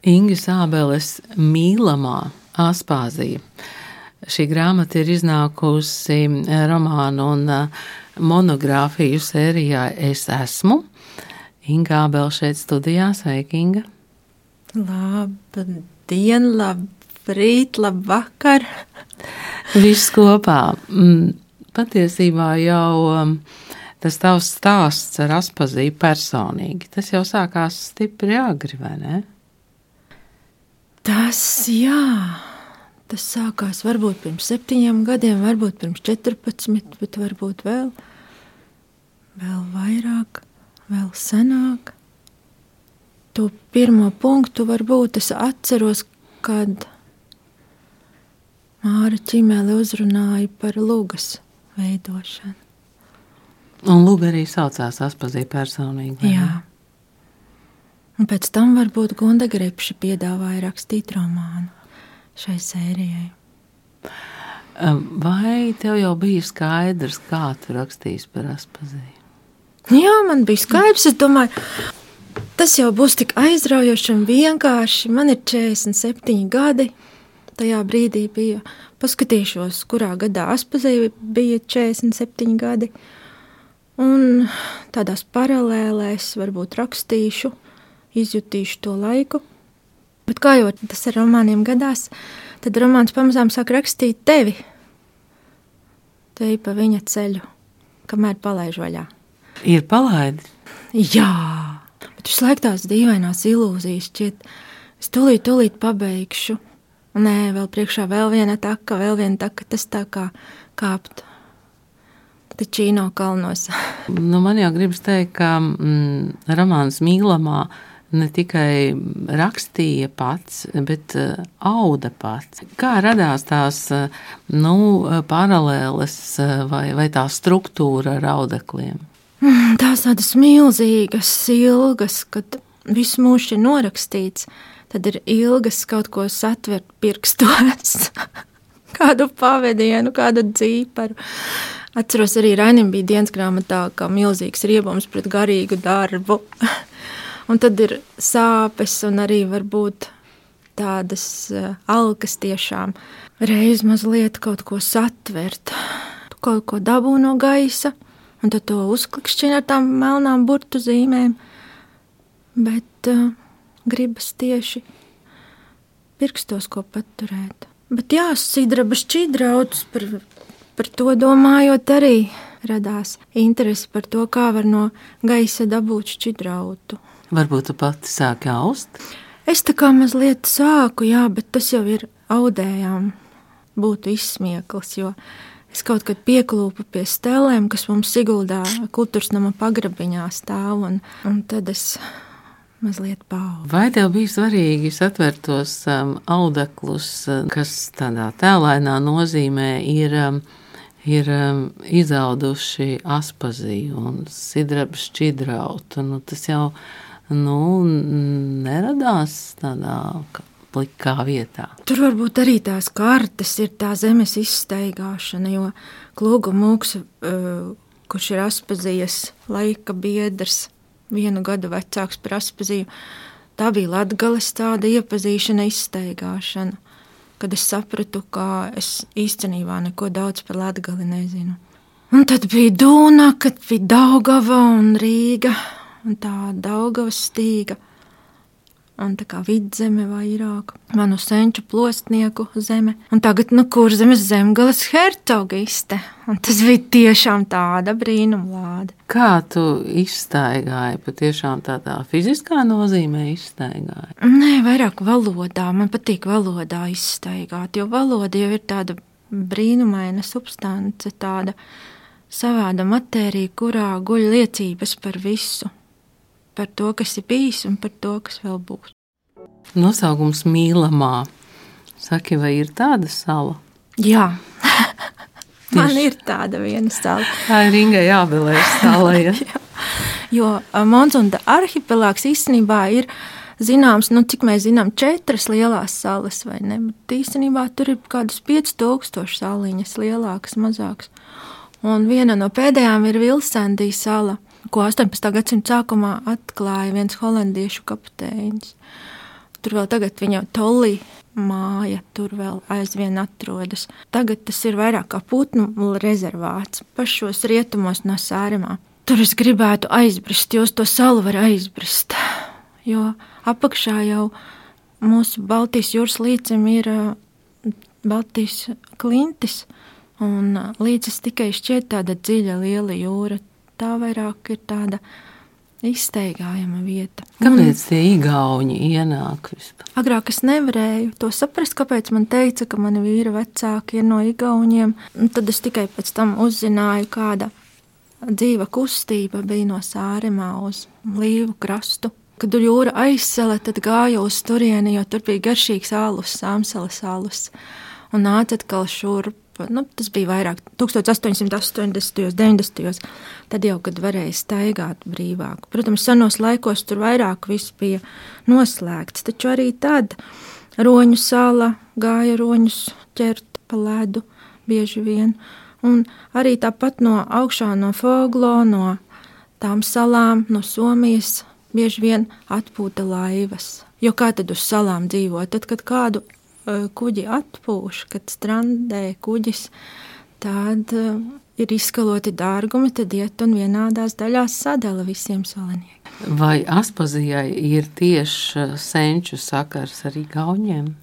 Ingas Ābeles mīlamā Aspāzija. Šī grāmata ir iznākusi romānu un monogrāfiju sērijā Es esmu. Inga Ābele šeit studijā. Sveika, Inga! Labdien, labrīt, labvakar! Viss kopā. Patiesībā jau tas tavs stāsts ar Aspaziju personīgi. Tas jau sākās stipri agri, vai ne? Tas sākās varbūt pirms 7 gadiem, varbūt pirms 14, bet varbūt vēl vairāk, vēl senāk. To pirmo punktu varbūt es atceros, kad Māra Čimele uzrunāja par lugas veidošanu. Un luga arī saucās Aspazija personīgi, vai ne? Jā. Un pēc tam varbūt Gunda Grepša piedāvāja rakstīt romānu šai sērijai. Vai tev jau bija skaidrs, kā tu rakstīsi par Aspaziju? Jā, man bija skaidrs. Es domāju, tas jau būs tik aizraujoši un vienkārši. Man ir 47 gadi. Tajā brīdī bija, paskatīšos, kurā gadā Aspazija bija 47 gadi. Un tādās paralēlēs varbūt rakstīšu, izjutīšu to laiku. Bet kā jau tas ar romāniem gadās, tad romāns pamazām sāk rakstīt tevi. Tevi pa viņa ceļu, kamēr palaiž vaļā. Ir palaidi? Jā, bet visu laiku tās dīvainās ilūzijas šķiet. Es tūlīt pabeigšu. Nē, vēl priekšā vēl viena taka, tas tā kā kāpt Ticino kalnos. Man jau gribas teikt, ka romāns mīlamā ne tikai rakstīja pats, bet auda pats. Kā radās tās paralēles vai tā struktūra ar audekliem? Tās tādas milzīgas, ilgas, kad viss mūžs ir norakstīts, tad ir ilgas kaut ko satvert pirkstos, kādu pavadienu, kādu dzīparu. Atceros arī Rainim bija dienas grāmatā, kā milzīgs riebums pret garīgu darbu. Un tad ir sāpes un arī varbūt tādas alkas tiešām. Reiz mazliet kaut ko satvert, kaut ko dabū no gaisa, un tad to uzklikšķina ar tām melnām burtu zīmēm. Bet gribas tieši pirkstos ko paturēt. Bet jā, sidraba šķidrauts par to domājot arī radās interesi par to, kā var no gaisa dabūt šķidrautu. Varbūt tu pati sāki aust? Es tā kā mazliet sāku, jā, bet tas jau ir audējām būtu izsmieklis, jo es kaut kad pieklūpu pie stelēm, kas mums Siguldā kultūras nama pagrabiņā stāv, un tad es mazliet paaudu. Vai tev bija svarīgi satvert tos audeklus, kas tādā tēlainā nozīmē ir izauduši Aspaziju un sidraba šķidrautu? Tas jau neradās tādā plikā vietā. Tur varbūt arī tās kartes ir tā zemes izstaigāšana, jo Klūga Mūks, kurš ir Aspazijas laika biedrs, 1 gadu vecāks par Aspaziju, tā bija Latgales tāda iepazīšana, izstaigāšana, kad es sapratu, ka es īstenībā neko daudz par Latgali nezinu. Un tad bija Dūna, kad bija Daugava un Rīga, un tā Daugavas stīga, un tā kā Vidzeme vairāk, manu senču plostnieku zeme, un tagad Kurzemes Zemgales hercogiste, un tas bija tiešām tāda brīnumlāde. Kā tu izstaigāji, patiešām tādā fiziskā nozīmē izstaigāji? Nē, vairāk valodā, man patīk valodā izstaigāt, jo valoda jau ir tāda brīnumaina substance, tāda savāda matērija, kurā guļ liecības par visu. Par to, kas ir bijis un par to, kas vēl būs. Nosaukums mīlamā. Saki, vai ir tāda sala? Jā, man ir tāda viena sala. Tā ir Ingai Ābelei sala, ja? Jo Monsunda arhipelāgs īstenībā ir zināms, cik mēs zinām, 4 lielās salas, vai ne? Bet īstenībā tur ir kādas 5000 saliņas, lielākas, mazākas. Un viena no pēdējām ir Vilsandī sala, ko 18. gadsimta sākumā atklāja viens holandiešu kapteinis. Tur vēl tagad viņa Tollī māja tur vēl aizvien atrodas. Tagad tas ir vairāk kā putnu rezervāts pašos rietumos no Sāremā. Tur es gribētu aizbrist, jo uz to salu var aizbrist, jo apakšā jau mūsu Baltijas jūras līcim ir Baltijas klintis, un līdzis tikai šķiet tāda dziļa, liela jūra. Tā vairāk ir tāda izsteigājama vieta. Kāpēc tie igauņi ienāk vispār? Agrāk es nevarēju to saprast, kāpēc man teica, ka mani vīra vecāki ir no igauņiem. Un tad es tikai pēc tam uzzināju, kāda dzīva kustība bija no Sāremā uz Līvu krastu. Kad jūra aizsala, tad gāju uz turieni, jo tur bija garšīgs alus, Sāmsalas alus. Un nāca atkal šurp. Tas bija vairāk 1880. 90. Tad jau, kad varēja staigāt brīvāk. Protams, senos laikos tur vairāk viss bija noslēgts, taču arī tad Roņu sala gāja roņus ķert pa ledu bieži vien. Un arī tāpat no augšā no Foglo, no tām salām, no Somijas bieži vien atpūta laivas. Jo kā tad uz salām dzīvo? Tad, kad kādu kuģi atpūš, kad strandē kuģis, tad ir izskaloti dārgumi, tad iet un vienādās daļās sadala visiem saliniekiem. Vai Aspazijai ir tieši senču sakars ar igauņiem?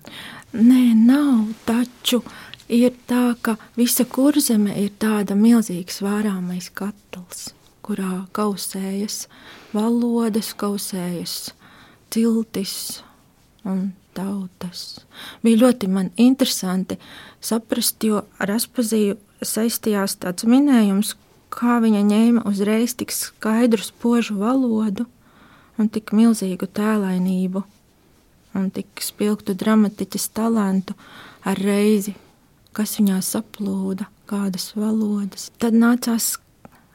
Nē, nav, taču ir tā, ka visa Kurzeme ir tāda milzīgs vārāmais katls, kurā kausējas valodas, kausējas ciltis un tautas. Bija ļoti man interesanti saprast, jo ar Aspaziju saistījās tāds minējums, kā viņa ņēma uzreiz tik skaidru spožu valodu un tik milzīgu tēlainību un tik spilgtu dramatiķes talantu ar reizi, kas viņā saplūda, kādas valodas. Tad nācās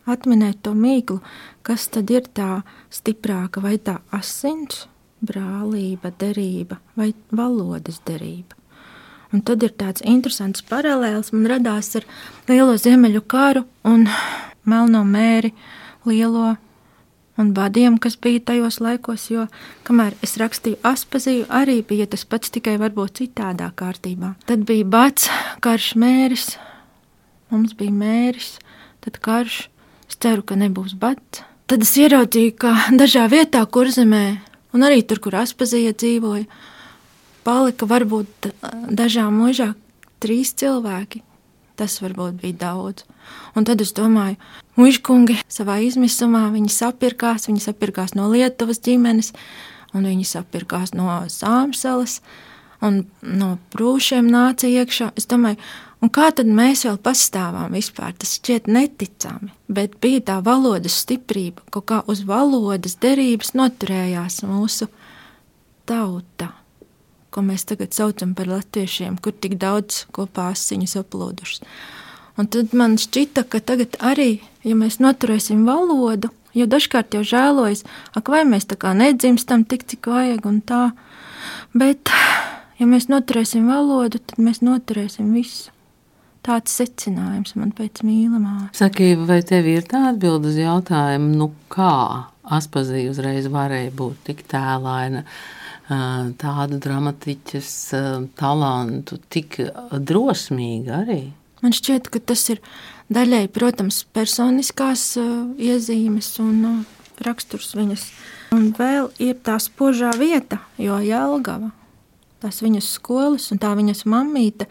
atminēt to mīklu, kas tad ir tā stiprāka, vai tā asins, brālība, derība vai valodas derība. Un tad ir tāds interesants paralēls man radās ar Lielo Ziemeļu karu un Melno mēri, Lielo un badiem, kas bija tajos laikos, jo kamēr es rakstīju Aspaziju, arī bija tas pats, tikai varbūt citādā kārtībā. Tad bija bads, karš mēris, mums bija mēris, tad karš, es ceru, ka nebūs bads. Tad es ieraudzīju, ka dažā vietā Kurzemē un arī tur, kur Aspazija dzīvoja, palika varbūt dažā mūžā 3 cilvēki. Tas varbūt bija daudz. Un tad es domāju, mužkungi savā izmisumā viņi sapirkās no Lietuvas ģimenes, un viņi sapirkās no Sāmsalas, un no Prūšiem nāca iekšā. Es domāju, un kā tad mēs vēl pastāvām vispār? Tas šķiet neticami, bet bija tā valodas stiprība, kaut kā uz valodas derības noturējās mūsu tauta, ko mēs tagad saucam par latviešiem, kur tik daudz kopā asiņas aplūdušas. Un tad man šķita, ka tagad arī, ja mēs noturēsim valodu, jo dažkārt jau žēlojas, vai mēs tā kā nedzimstam tik, cik vajag un tā, bet ja mēs noturēsim valodu, tad mēs noturēsim visu. Tāds secinājums man pēc mīlamā. Saki, vai tev ir tā atbilde uz jautājumu, kā Aspazija uzreiz varēja būt tik tēlaina, tādu dramatiķes talantu, tik drosmīga arī? Man šķiet, ka tas ir daļai, protams, personiskās iezīmes un raksturs viņas. Un vēl ir tā spožā vieta, jo Jelgava, tās viņas skolas un tā viņas mammīte,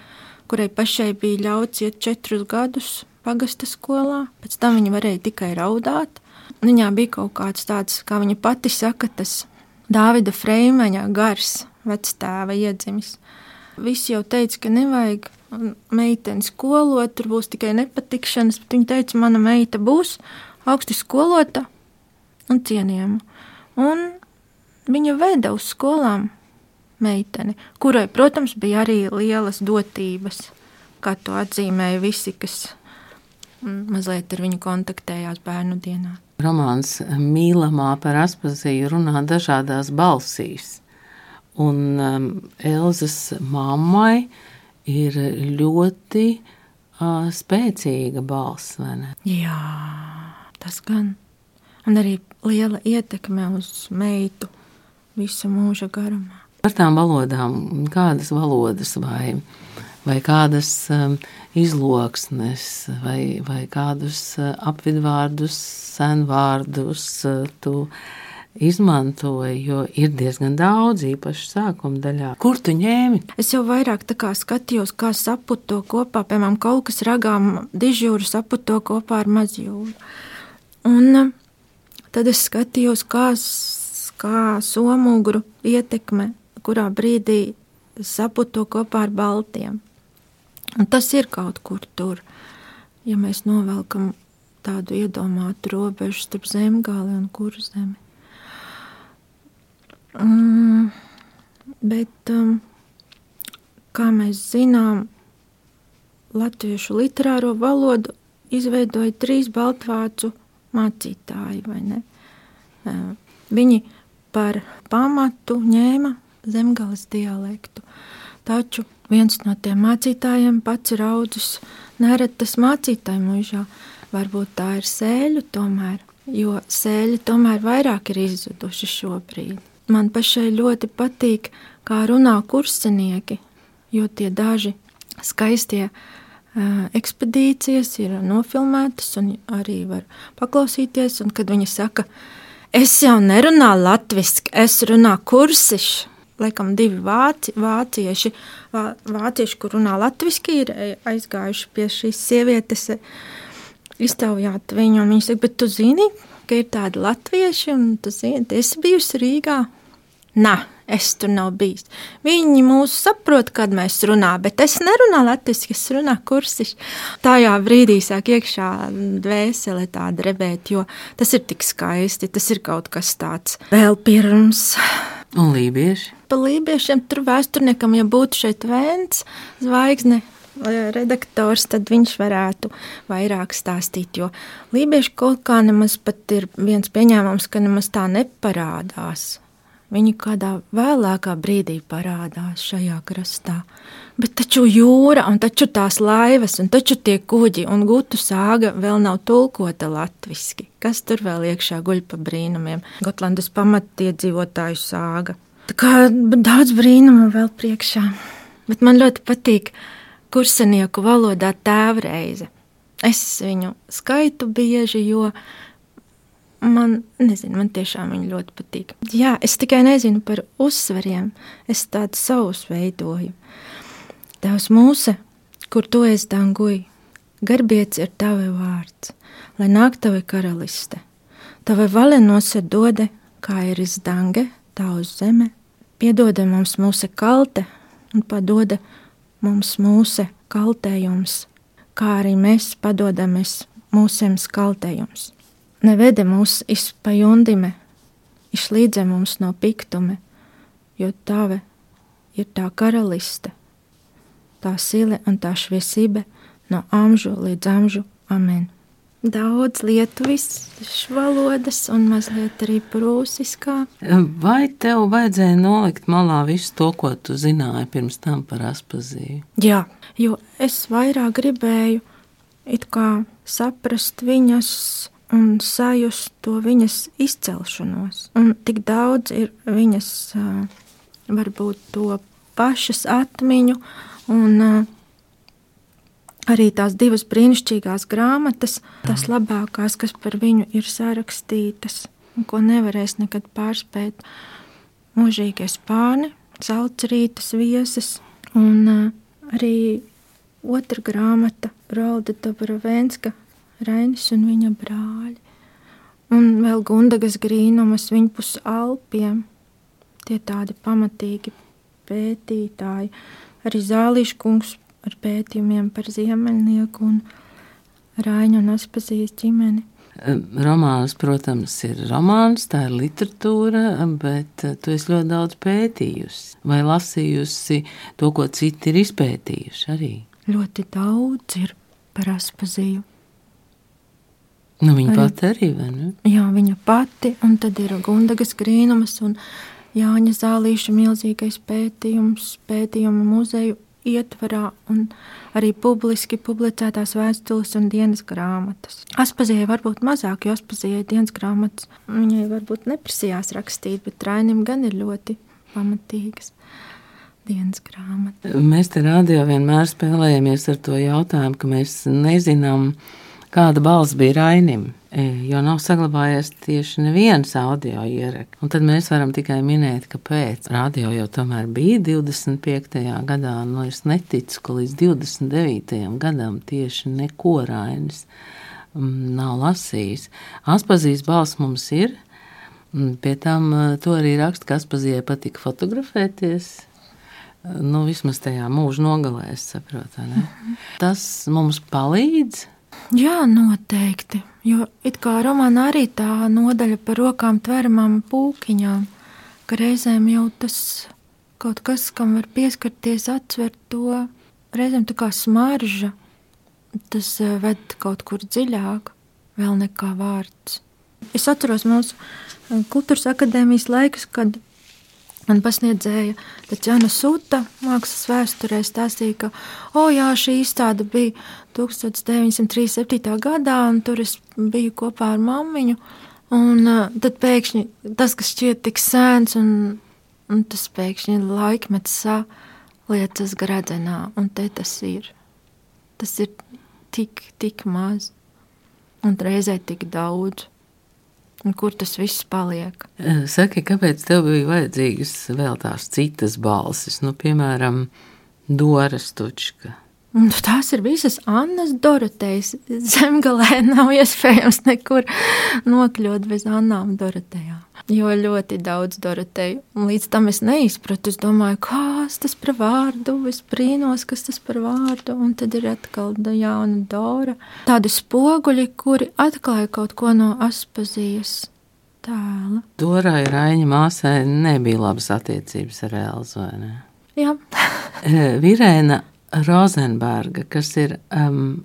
kurai pašai bija ļauts iet 4 gadus pagasta skolā, pēc tam viņa varēja tikai raudāt. Viņā bija kaut kāds tāds, kā viņa pati saka, tas Dāvida Freimaņa gars, vectēva iedzimis. Visi jau teica, ka nevajag meiteni skolot, tur būs tikai nepatikšanas, bet viņa teica, mana meita būs augsti skolota un cienījama. Un viņa veda uz skolām meiteni, kurai, protams, bija arī lielas dotības, kā to atzīmēja visi, kas mazliet ar viņu kontaktējās bērnu dienā. Romāns Mīlamā par Aspaziju runā dažādās balsīs, un Elzas mammai ir ļoti spēcīga balss, vai ne? Jā, tas gan. Un arī liela ietekme uz meitu visu mūža garumā. Par tām valodām, kādas valodas vai kādas izloksnes vai kādus apvidvārdus, senvārdus tu izmantoji, jo ir diezgan daudz, īpaši sākuma daļā. Kur tu ņēmi? Es jau vairāk tā kā skatījos, kā saput to kopā, piemēram, kaut kas ragām dižjūru saput to kopā ar mazjūru. Un tad es skatījos, kā somugru ietekme, kurā brīdī saput to kopā ar baltiem. Un tas ir kaut kur tur, ja mēs novelkam tādu iedomātu robežu starp Zemgali un Kurzemi. Bet, kā mēs zinām, latviešu literāro valodu izveidoja 3 baltvācu mācītāji, vai ne? Viņi par pamatu ņēma Zemgales dialektu. Taču viens no tiem mācītājiem pats ir audzis neretas mācītāju mužā. Varbūt tā ir sēļu tomēr, jo sēļi tomēr vairāk ir izzuduši šobrīd. Man pašai ļoti patīk, kā runā kursenieki, jo tie daži skaistie ekspedīcijas ir nofilmētas un arī var paklausīties. Un kad viņi saka, es jau nerunāju latviski, es runāju kursiši. Laikam 2 vācieši, kur runā latviski, ir aizgājuši pie šīs sievietes iztaujāt viņu. Un viņi saka, bet tu zini, ka ir tādi latvieši un tu zini, tu esi bijusi Rīgā? Nā, es tur nav bijis. Viņi mūs saprot, kad mēs runā, bet es nerunāju latviski, es runāju kursiši. Tajā brīdī sāk iekšā dvēsele tā drebēt, jo tas ir tik skaisti, tas ir kaut kas tāds vēl pirms. Un lībieši? Par lībiešiem tur vēsturniekam, ja būtu šeit Vēns zvaigzne redaktors, tad viņš varētu vairāk stāstīt, jo lībieši kaut kā nemaz pat ir viens pieņēmums, ka nemaz tā neparādās. Viņi kādā vēlākā brīdī parādās šajā krastā. Bet taču jūra, un taču tās laivas, un taču tie kuģi, un gutu sāga vēl nav tulkota latviski. Kas tur vēl iekšā guļ pa brīnumiem? Gotlandas pamatiedzīvotāju sāga. Tā kā daudz brīnumu vēl priekšā. Bet man ļoti patīk kursenieku valodā tēvreize. Es viņu skaitu bieži, jo man tiešām viņa ļoti patīk. Jā, es tikai nezinu par uzsveriem, es tādu savus veidoju. Tavs mūse, kur tu esi danguj, garbiets ir tavi vārds, lai nāk tavi karaliste. Tavi vale nosa dode, kā ir izdange, tā uz zeme, piedode mums mūse kalte un padode mums mūse kaltējums, kā arī mēs padodamies mūsiem skaltējums. Nevede mūs izpajundime, išlīdze mums no piktume, jo tave ir tā karaliste, tā sile un tā šviesība no amžu līdz amžu. Amen. Daudz lietuviskas valodas un mazliet arī prūsiskā. Vai tev vajadzēja nolikt malā visu to, ko tu zināji pirms tam par Aspaziju? Jā, jo es vairāk gribēju it kā saprast viņas un sajust to viņas izcelšanos. Un tik daudz ir viņas varbūt to pašas atmiņu un arī tās 2 brīnišķīgās grāmatas, tās labākās, kas par viņu ir sarakstītas un ko nevarēs nekad pārspēt. Mūžīgie spāni, Zeltsrītas viesis un arī otra grāmata Rolda Dobrovenska, Rainis un viņa brāļi. Un vēl Gundagas Grīnumas viņpus Alpiem. Tie tādi pamatīgi pētītāji. Arī Zālīša kungs ar pētījumiem par Ziemeļnieku un Raiņu un Aspazijas ģimeni. Romāns, protams, ir romāns, tā ir literatūra, bet tu esi ļoti daudz pētījusi vai lasījusi to, ko citi ir izpētījuši arī. Ļoti daudz ir par Aspaziju. Nu, viņa pati arī, vai ne? Jā, viņa pati, un tad ir Gundagas Grīnumas un Jāņa Zālīša milzīgais pētījumu muzeju ietvarā un arī publiski publicētās vēstules un dienas grāmatas. Aspazijai varbūt mazāk, jo Aspazijai dienas grāmatas viņai varbūt neprasījās rakstīt, bet Rainim gan ir ļoti pamatīgas dienas grāmatas. Mēs te radio vienmēr spēlējamies ar to jautājumu, ka mēs nezinām, kāda balss bija Rainim, jo nav saglabājies tieši neviens audio ieraksts. Un tad mēs varam tikai minēt, ka pēc radio jau tomēr bija 25. gadā, un es neticu, ka līdz 29. gadam tieši neko Rainis nav lasījis. Aspazijas balss mums ir, pie tam to arī raksta, ka Aspazijai patika fotografēties. Vismaz tajā mūža nogalē, es saprotu, ne? Tas mums palīdz? Jā, noteikti, jo it kā romānā arī tā nodaļa par rokām tveramām pūkiņām, ka reizēm jau tas kaut kas, kam var pieskarties, atsver to, reizēm tā kā smarža, tas ved kaut kur dziļāk, vēl nekā vārds. Es atceros mūsu Kultūras akadēmijas laikus, kad man pasniedzēja Taķana Suta mākslas vēsturē stāstīja, ka jā, šī izstāde bija 1937. gadā, un tur es biju kopā ar mammiņu, un tad pēkšņi tas, kas šķiet tik sēns, un tas pēkšņi laikmets saliecas gradzenā, un te tas ir. Tas ir tik maz, un reizē tik daudz. Un kur tas viss paliek? Saki, kāpēc tev bija vajadzīgas vēl tās citas balsis? Piemēram, Dora Stučka. Tās ir visas Annas Dorotejas. Zemgalē nav iespējams nekur nokļūt bez Annām Dorotejām. Jo ļoti daudz Doroteju. Un līdz tam es neizpratu. Es domāju, kas tas par vārdu? Es brīnos, kas tas par vārdu. Un tad ir atkal jauna Dora. Tādi spoguļi, kuri atklāja kaut ko no Aspazijas tēla. Dorai Raiņa māsai nebija labas attiecības ar Elzu, vai ne? Jā. Virēna Rozenberga, kas ir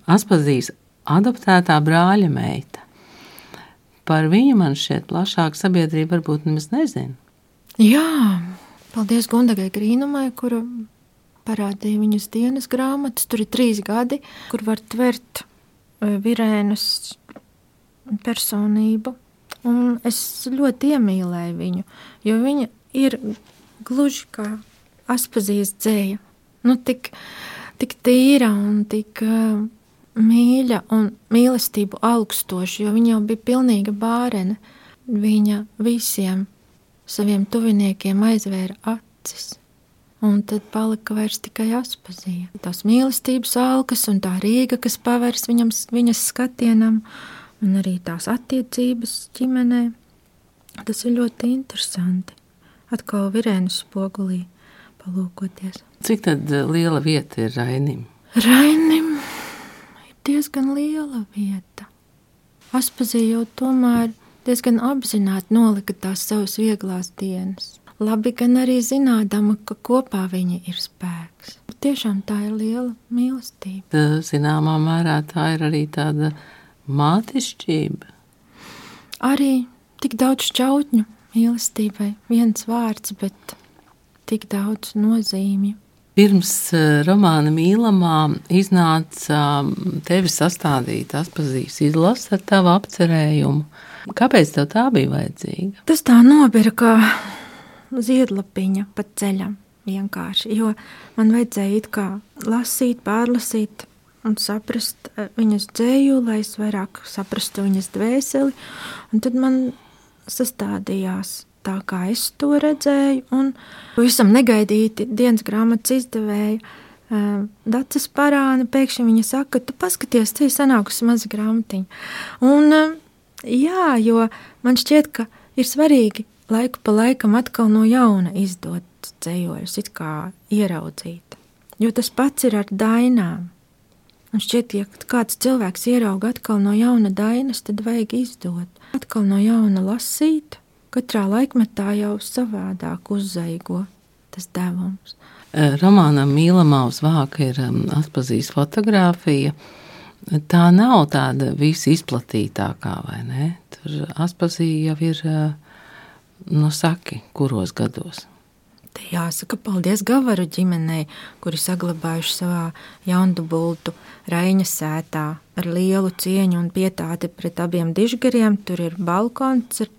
Aspazijas adoptētā brāļa meita. Par viņu man šķiet plašāk sabiedrība varbūt nemaz nezina. Jā, paldies Gundagai Grīnumai, kura parādīja viņas dienas grāmatas. Tur ir 3 gadi, kur var tvert Virēnas personību. Un es ļoti iemīlēju viņu, jo viņa ir gluži kā Aspazijas dzēja. Tik tīra un tik mīļa un mīlestību augstoša, jo viņa jau bija pilnīga bārene. Viņa visiem saviem tuviniekiem aizvēra acis, un tad palika vairs tikai Aspazija. Tās mīlestības alkas un tā Rīga, kas pavērs viņas skatienam, un arī tās attiecības ģimenē. Tas ir ļoti interesanti. Atkal Virēnas spogulī palūkoties. Cik tad liela vieta ir Rainim? Rainim ir diezgan liela vieta. Aspazija jau tomēr diezgan apzināti nolika tās savas vieglās dienas. Labi gan arī zinādama, ka kopā viņa ir spēks. Tiešām tā ir liela mīlestība. Zināmā mērā tā ir arī tāda mātišķība. Arī tik daudz šķautņu mīlestībai. Viens vārds, bet tik daudz nozīmju. Pirms romāna Mīlamā iznāca tevi sastādīt Aspazijas izlase ar tavu apcerējumu. Kāpēc tev tā bija vajadzīga? Tas tā nobira kā ziedlapiņa pa ceļam vienkārši, jo man vajadzēja it kā lasīt, pārlasīt un saprast viņas dzēju, lai es vairāk saprastu viņas dvēseli, un tad man sastādījās tā, kā es to redzēju, un pavisam negaidīti dienas grāmatas izdevēja Daces Parāne, pēkšņi viņa saka, tu paskaties, te ir sanākusi maza grāmatiņa. Un jā, jo man šķiet, ka ir svarīgi laiku pa laikam atkal no jauna izdot dzējoļus, it kā ieraudzīt. Jo tas pats ir ar dainām. Un šķiet, ja kāds cilvēks ierauga atkal no jauna dainas, tad vajag izdot. Atkal no jauna lasīt. Katrā laikmetā jau savādāk uzzaigo tas devums. Romānam Mīlamā uz vāka ir Aspazijas fotogrāfija. Tā nav tāda visizplatītākā, vai ne? Tur Aspazija jau ir, saki, kuros gados? Te jāsaka paldies Gavaru ģimenei, kuri saglabājuši savā jaundubultu Raiņa sētā ar lielu cieņu un pietāti pret abiem dižgariem. Tur ir balkons ar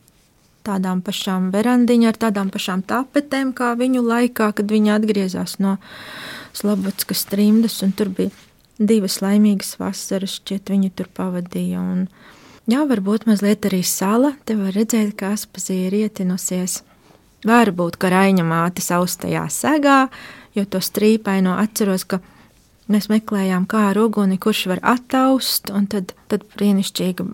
tādām pašām verandiņām, ar tādām pašām tapetēm, kā viņu laikā, kad viņi atgriezās no Slobodskas trimdas, un tur bija 2 laimīgas vasaras, šķiet, viņi tur pavadīja. Un, jā, varbūt mazliet arī sala, te var redzēt, ka Aspazija ir ietinusies. Varbūt, ka Raiņa māte saustajā segā, jo to strīpaino atceros, ka mēs meklējām, kā ar uguni, kurš var attaust, un tad brīnišķīga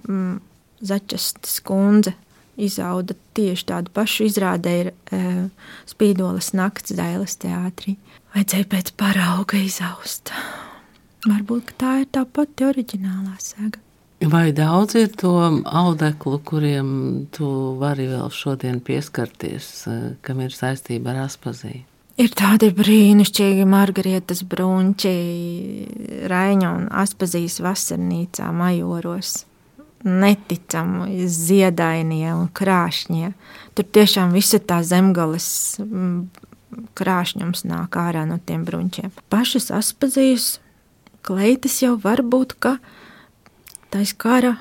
Začestas kundze izauda tieši tādu pašu izrādē ir Spīdolas nakts Dailes teātrī. Vajadzēja pēc parauga izaust. Varbūt, ka tā ir tā pati oriģinālā sega. Vai daudz ir to audeklu, kuriem tu vari vēl šodien pieskarties, kam ir saistība ar Aspaziju? Ir tādi brīnišķīgi Margarietas Brunči, Raiņa un Aspazijas vasarnīcā Majoros. Neticami ziedainie un krāšņie. Tur tiešām visa tā zemgales krāšņums nāk ārā no tiem bruņķiem. Pašas Aspazijas kleitas jau varbūt, ka tais kara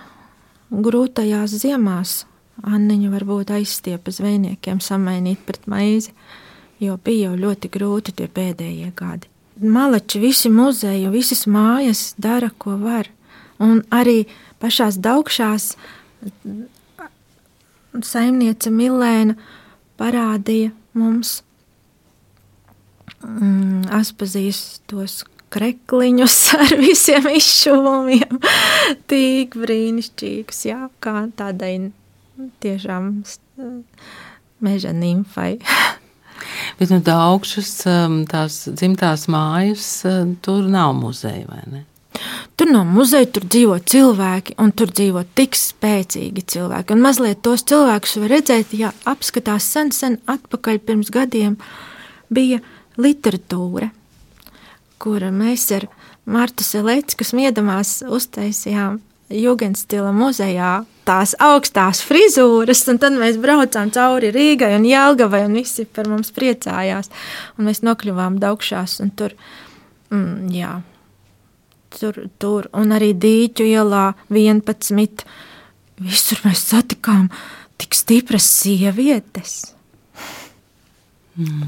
grūtajās ziemās Anniņa varbūt aizstiepa zvejniekiem samainīt pret maizi, jo bija jau ļoti grūti tie pēdējie gadi. Malači, visi muzeji, visas mājas dara, ko var. Un arī pašās Daugšās saimniece Milēna parādīja mums Aspazijas tos krekliņus ar visiem izšuvumiem. Tik brīnišķīgs, jā, kā tādai tiešām meža nimfai. Bet no Daugšas tās dzimtās mājas tur nav muzeja, vai ne? Tur nav muzeja, tur dzīvo cilvēki, un tur dzīvo tik spēcīgi cilvēki. Un mazliet tos cilvēkus var redzēt, ja apskatās sen atpakaļ pirms gadiem bija literatūra, kura mēs ar Martu Seleckas Miedamās uztaisījām Jugendstila muzejā tās augstās frizūras, un tad mēs braucām cauri Rīgai un Jelgavai, un visi par mums priecājās. Un mēs nokļuvām Daugšās, un tur, tur, un arī Dīķu ielā 11. Visur mēs satikām tik stipras sievietes.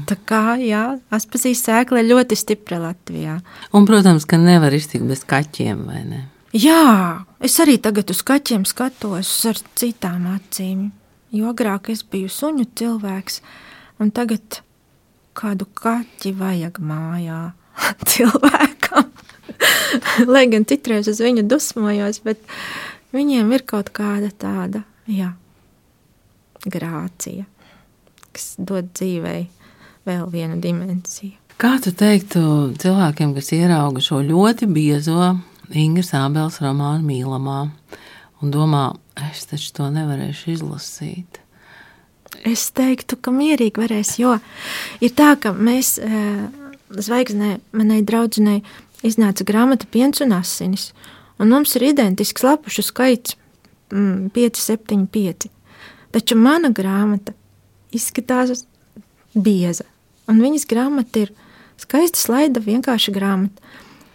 Tā kā, jā, Aspazijas sēkla ir ļoti stipra Latvijā. Un, protams, ka nevar iztikt bez kaķiem, vai ne? Jā, es arī tagad uz kaķiem skatos ar citām acīm, jo agrāk es biju suņu cilvēks, un tagad kādu kaķi vajag mājā cilvēkam. Lai gan citreiz uz viņu dusmojos, bet viņiem ir kaut kāda tāda, grācija, kas dod dzīvei vēl vienu dimensiju. Kā tu teiktu cilvēkiem, kas ierauga šo ļoti biezo Ingras Ābeles romānu Mīlamā un domā, es taču to nevarēšu izlasīt? Es teiktu, ka mierīgi varēs, jo ir tā, ka mēs Zvaigznē, manai draudzenei, iznāca grāmata Piens un asinis, un mums ir identisks lapušu skaits 575. Taču mana grāmata izskatās bieza, un viņas grāmata ir skaista slaida, vienkārša grāmata.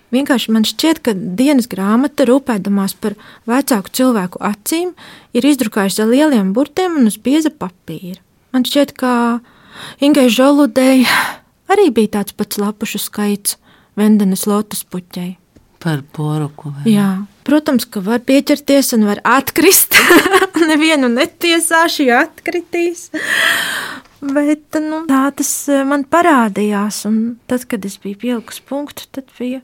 Vienkārši man šķiet, ka dienas grāmata, rūpēdamās par vecāku cilvēku acīm, ir izdrukājusi ar lieliem burtiem un uz bieza papīra. Man šķiet, ka Ingai Žoludei arī bija tāds pats lapušu skaits Vendenes lotus puķei. Par poruku, vai? Jā, protams, ka var pieķerties un var atkrist. Nevienu netiesāšu, ja atkritīs. Bet, tā tas man parādījās, un tad, kad es biju pielikusi punktu, tad bija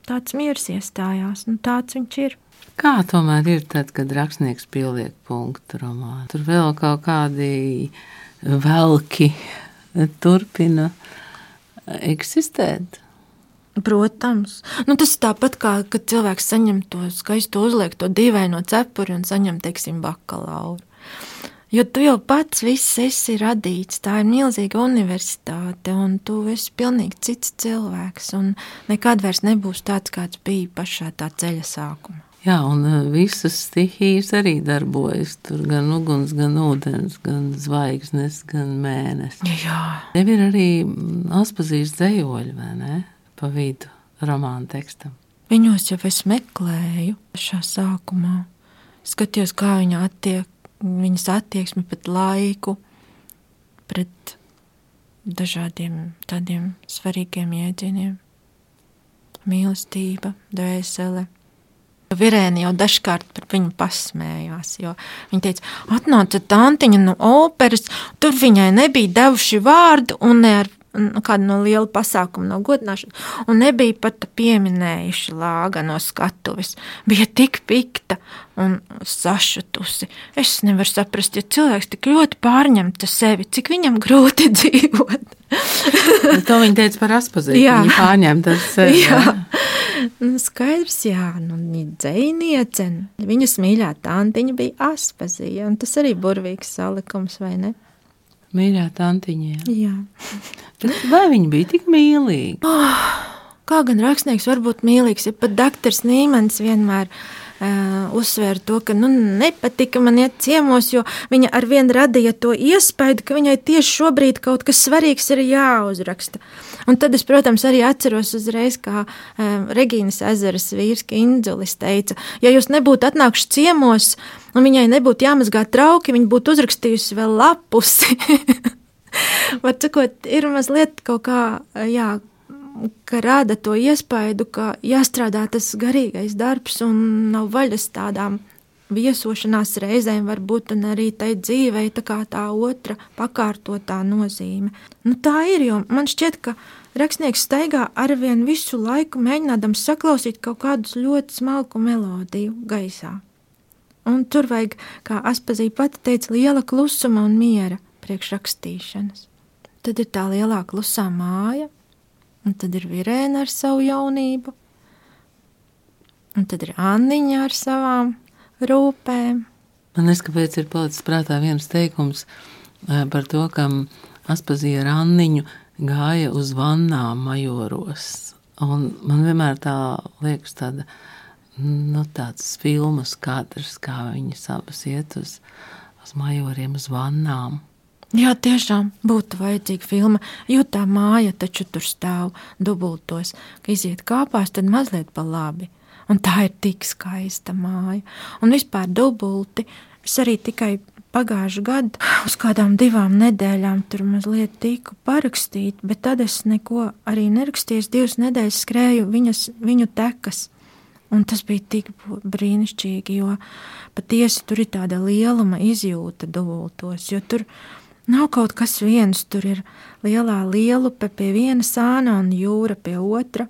tāds miers iestājās, un tāds viņš ir. Kā tomēr ir tad, kad rakstnieks pieliek punktu romānu? Tur vēl kaut kādi velki turpina eksistēt? Protams. Tas ir tāpat kā, kad cilvēks saņem to skaisto uzliekto dīvaino cepuri un saņem, teiksim, bakalauru. Jo tu jau pats viss esi radīts, tā ir milzīga universitāte, un tu esi pilnīgi cits cilvēks, un nekad vairs nebūs tāds, kāds bija pašā tā ceļa sākumā. Jā, un visas stihijas arī darbojas, tur gan uguns, gan ūdens, gan zvaigznes, gan mēnesis. Jā. Tev ir arī Aspazijas dzejoļi, vai ne, pa vidu romāna tekstam? Viņos jau es meklēju pašā sākumā, skatījos, kā viņa attiek viņas attieksmi pret laiku, pret dažādiem tādiem svarīgiem jēdzieniem. Mīlestība, dvēsele. Virēni jau dažkārt par viņu pasmējās, jo viņa teica, atnāca tantiņa no operas, tur viņai nebija devuši vārdu un ne ar kādu no liela pasākuma, no godināšanas, un nebija pat pieminējuši lāga no skatuves. Bija tik pikta un sašutusi. Es nevaru saprast, ja cilvēks tik ļoti pārņemta sevi, cik viņam grūti dzīvot. To viņa teica par Aspazīti, viņa pārņemta sevi. Jā. Skaidrs, jā, dzejniece. Viņas mīļā tantiņa bija Aspazija, un tas arī burvīgs salikums, vai ne? Mīļā tantiņa, jā. Vai viņa bija tik mīlīga? Kā gan rakstnieks var būt mīlīgs, ja pat doktors Nīmans vienmēr uzsvēra to, ka nepatika man iet ciemos, jo viņa arvien radīja to iespaidu, ka viņai tieši šobrīd kaut kas svarīgs ir jāuzraksta. Un tad es, protams, arī atceros uzreiz, kā Regīnas Ezeras vīrs Kindzulis teica, ja jūs nebūtu atnākuši ciemos un viņai nebūtu jāmazgā trauki, viņa būtu uzrakstījusi vēl lapusi. Var cikot, ir mazliet kaut kā, jā, ka rāda to iespaidu, ka jāstrādā tas garīgais darbs un nav vaļas tādām viesošanās reizēm varbūt un arī tai dzīvei tā kā tā otra pakārtotā nozīme. Tā ir, jo man šķiet, ka rakstnieks staigā arvien visu laiku mēģinādams saklausīt kaut kādus ļoti smalku melodiju gaisā. Un tur vajag, kā Aspazīte pati teica, liela klusuma un miera priekš rakstīšanas. Tad ir tā lielā klusā māja, un tad ir Virēna ar savu jaunību, un tad ir Anniņa ar savām rūpēm. Man neskapēc ir palicis prātā viens teikums par to, ka Aspazija ar Anniņu gāja uz vannām Majoros. Un man vienmēr tā liekas tāda, tāds filmas kadrs, kā viņas abas iet uz Majoriem, uz vannām. Jā, tiešām būtu vajadzīga filma, jo tā māja taču tur stāv dubultos, ka iziet kāpās, tad mazliet pa labi. Un tā ir tik skaista māja. Un vispār dubulti, es arī tikai pagājušu gadu uz kādām 2 nedēļām tur mazliet tiku parakstīt, bet tad es neko arī nerakstīju, 2 nedēļas skrēju viņu tekas. Un tas bija tik brīnišķīgi, jo patiesi tur ir tāda lieluma izjūta dubultos, jo tur nav kaut kas viens, tur ir lielā lielupe pie viena sāna un jūra pie otra.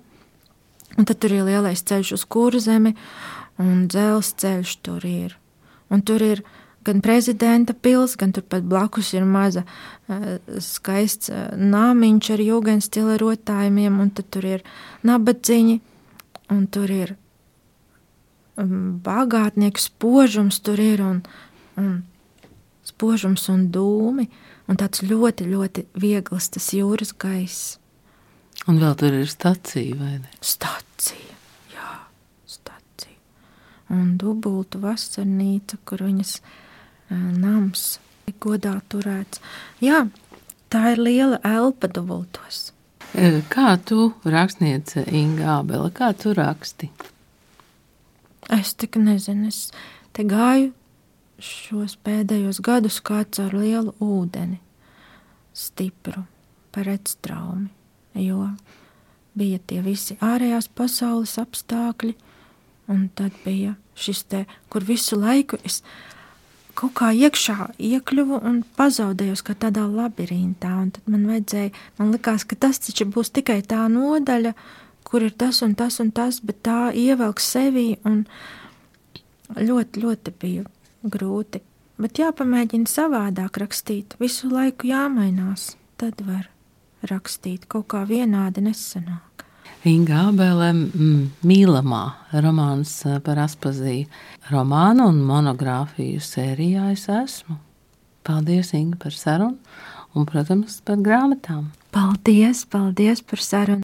Un tad tur ir lielais ceļš uz Kurzemi un dzelzceļš tur ir. Un tur ir gan prezidenta pils, gan turpat blakus ir maza skaists nāmiņš ar jūgenstila rotājumiem, un tad tur ir nabadziņi, un tur ir bagātnieku spožums, tur ir un spožums un dūmi, un tāds ļoti, ļoti viegls tas jūras gaiss. Un vēl tur ir stacija, vai ne? Stacija, jā, stacija. Un dubultu vasarnīca, kur viņas nams godā turēts. Jā, tā ir liela elpa dubultos. Kā tu, rakstniece Inga Ābele, kā tu raksti? Es tik nezinu, es te gāju šos pēdējos gadus kā caur lielu ūdeni, stipru, par redstraumi, jo bija tie visi ārējās pasaules apstākļi, un tad bija šis te, kur visu laiku es kaut kā iekšā iekļuvu un pazaudējos kā tādā labirintā, un tad man likās, ka tas taču būs tikai tā nodaļa, kur ir tas un tas un tas, bet tā ievelk sevī, un ļoti, ļoti bija grūti. Bet jāpamēģina savādāk rakstīt, visu laiku jāmainās, tad var rakstīt, kaut kā vienādi nesanāk. Inga Ābele, mīlamā romāns par Aspaziju. Romānu un monogrāfiju sērijā es esmu. Paldies, Inga, par sarunu un, protams, par grāmatām. Paldies par sarunu.